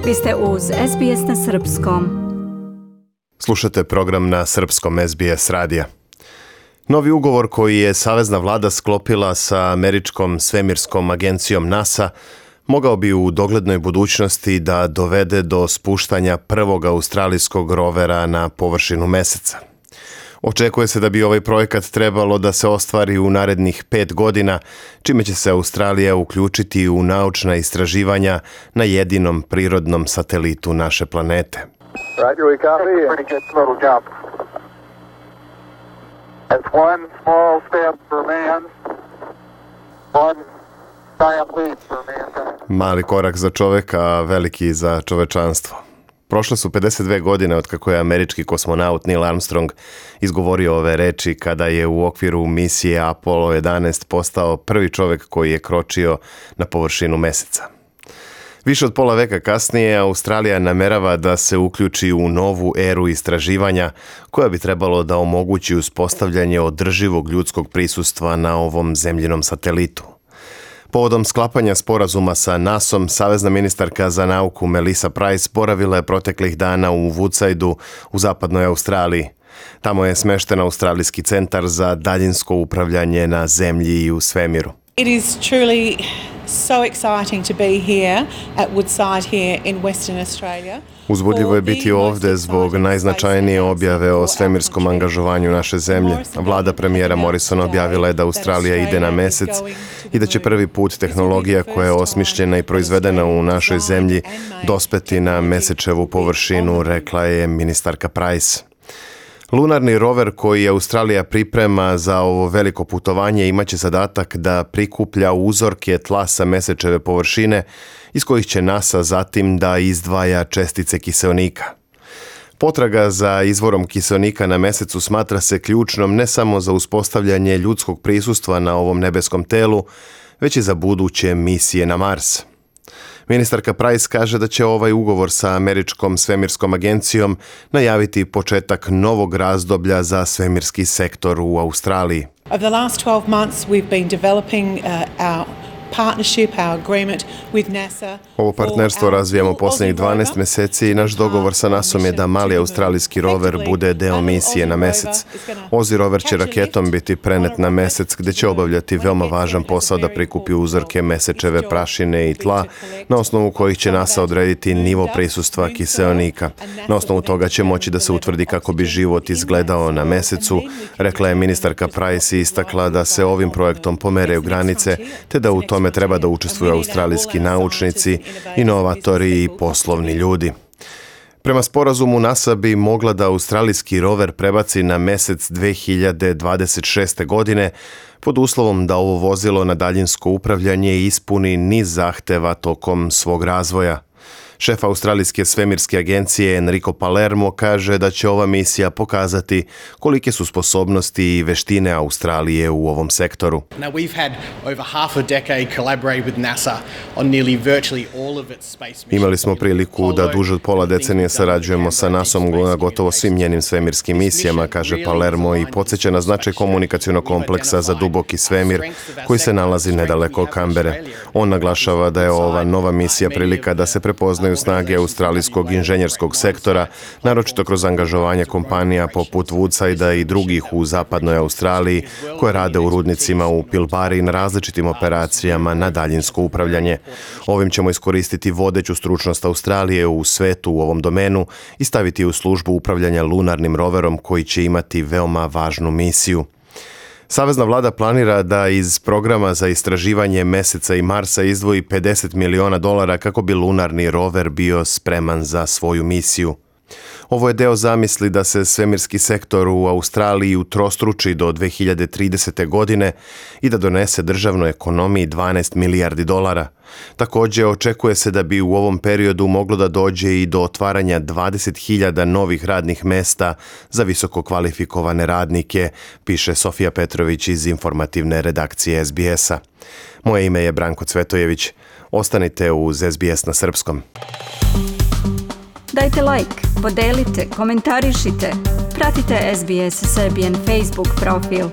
Vi ste uz SBS na Srpskom. Slušate program na Srpskom SBS radija. Novi ugovor koji je savezna vlada sklopila sa američkom svemirskom agencijom NASA mogao bi u doglednoj budućnosti da dovede do spuštanja prvog australijskog rovera na površinu meseca. Očekuje se da bi ovaj projekat trebalo da se ostvari u narednih 5 godina, čime će se Australija uključiti u naučna istraživanja na jedinom prirodnom satelitu naše planete. Roger, we copy. Pretty good total jump. That's one small step for man, one giant leap for mankind. Mali korak za čoveka, a veliki za čovečanstvo. Prošle su 52 godine od kako je američki kosmonaut Neil Armstrong izgovorio ove reči kada je u okviru misije Apollo 11 postao prvi čovjek koji je kročio na površinu meseca. Više od pola veka kasnije Australija namerava da se uključi u novu eru istraživanja koja bi trebalo da omogući uspostavljanje održivog ljudskog prisustva na ovom zemljinom satelitu. Povodom sklapanja sporazuma sa NASA-om, savezna ministarka za nauku Melissa Price boravila je proteklih dana u Woodsideu u zapadnoj Australiji. Tamo je smešten Australijski centar za daljinsko upravljanje na zemlji i u svemiru. It is truly so exciting to be here at Woodside here in Western Australia. Uzbudljivo je biti ovdje zbog najznačajnije objave o svemirskom angažovanju naše zemlje. Vlada premijera Morrisona objavila je da Australija ide na mesec i da će prvi put tehnologija koja je osmišljena i proizvedena u našoj zemlji dospeti na mesečevu površinu, rekla je ministarka Price. Lunarni rover koji Australija priprema za ovo veliko putovanje imaće zadatak da prikuplja uzorke tla sa mesečeve površine iz kojih će NASA zatim da izdvaja čestice kiseonika. Potraga za izvorom kiseonika na mesecu smatra se ključnom ne samo za uspostavljanje ljudskog prisustva na ovom nebeskom telu, već i za buduće misije na Mars. Ministarka Price kaže da će ovaj ugovor sa američkom svemirskom agencijom najaviti početak novog razdoblja za svemirski sektor u Australiji. Over the last 12 months we've been developing our partnership, our agreement with NASA. Ovo partnerstvo razvijamo posljednjih 12 mjeseci i naš dogovor sa NASA-om je da mali australijski rover bude deo misije na mesec. Aussie rover će raketom biti prenet na mesec gdje će obavljati veoma važan posao da prikupi uzorke mesečeve prašine i tla, na osnovu kojih će NASA odrediti nivo prisustva kiseonika. Na osnovu toga će moći da se utvrdi kako bi život izgledao na mesecu, rekla je ministarka Price i istakla da se ovim projektom pomeraju granice te da u tome treba da učestvuju australijski naučnici, inovatori i poslovni ljudi. Prema sporazumu NASA bi mogla da australijski rover prebaci na mesec 2026. godine pod uslovom da ovo vozilo na daljinsko upravljanje ispuni niz zahteva tokom svog razvoja. Šef australijske svemirske agencije Enrico Palermo kaže da će ova misija pokazati kolike su sposobnosti i veštine Australije u ovom sektoru. Now we've had over half a decade collaborate with NASA on nearly virtually all of its space missions. Imali smo priliku da duže od pola decenije sarađujemo sa NASA-om na gotovo svim njenim svemirskim misijama, kaže Palermo i podsjeća na značaj komunikacionog kompleksa za duboki svemir koji se nalazi nedaleko od Kambere. On naglašava da je ova nova misija prilika da se prepoznaju snage australijskog inženjerskog sektora, naročito kroz angažovanje kompanija poput Woodsidea i drugih u zapadnoj Australiji koje rade u rudnicima u Pilbari na različitim operacijama na daljinsko upravljanje. Ovim ćemo iskoristiti vodeću stručnost Australije u svetu u ovom domenu i staviti u službu upravljanja lunarnim roverom koji će imati veoma važnu misiju. Savezna vlada planira da iz programa za istraživanje meseca i Marsa izdvoji $50 miliona kako bi lunarni rover bio spreman za svoju misiju. Ovo je deo zamisli da se svemirski sektor u Australiji utrostruči do 2030. godine i da donese državnoj ekonomiji $12 milijardi. Također očekuje se da bi u ovom periodu moglo da dođe i do otvaranja 20.000 novih radnih mesta za visoko kvalifikovane radnike, piše Sofija Petrović iz informativne redakcije SBS-a. Moje ime je Branko Cvetojević. Ostanite uz SBS na Srpskom. Dajte like, podelite, komentarišite. Pratite SBS Serbian Facebook profil.